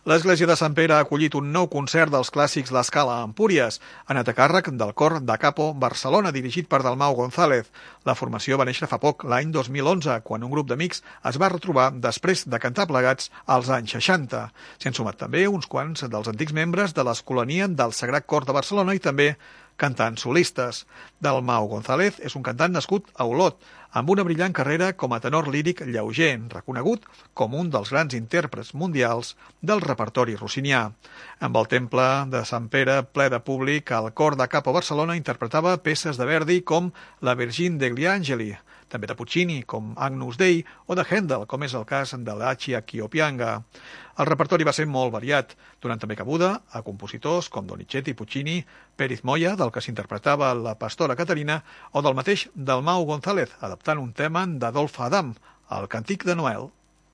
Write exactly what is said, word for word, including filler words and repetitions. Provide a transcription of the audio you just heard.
L'església de Sant Pere ha acollit un nou concert dels clàssics La Scala a Empúries, anat a càrrec del cor da Capo Barcelona, dirigit per Dalmau González. La formació va néixer fa poc, l'any dos mil onze, quan un grup d'amics es va retrobar després de cantar plegats als anys seixanta. S'hi han sumat també uns quants dels antics membres de l'Escolania del Sagrat Cor de Barcelona i també cantants solistes. Dalmau González és un cantant nascut a Olot, amb una brillant carrera com a tenor líric lleuger, reconegut com un dels grans intèrprets mundials del repertori rossinià. Amb el temple de Sant Pere ple de públic, el cor da Capo Barcelona interpretava peces de Verdi com la Virgin degli Angeli, també de Puccini, com Agnus Dei, o de Händel, com és el cas de l'Aci a Ch'io Pianga. El repertori va ser molt variat, donant també cabuda a compositors com Donizetti, Puccini, Pérez Moya, del que s'interpretava la pastora Caterina, o del mateix Dalmau González, adaptant un tema d'Adolphe Adam, el Càntic de Noel.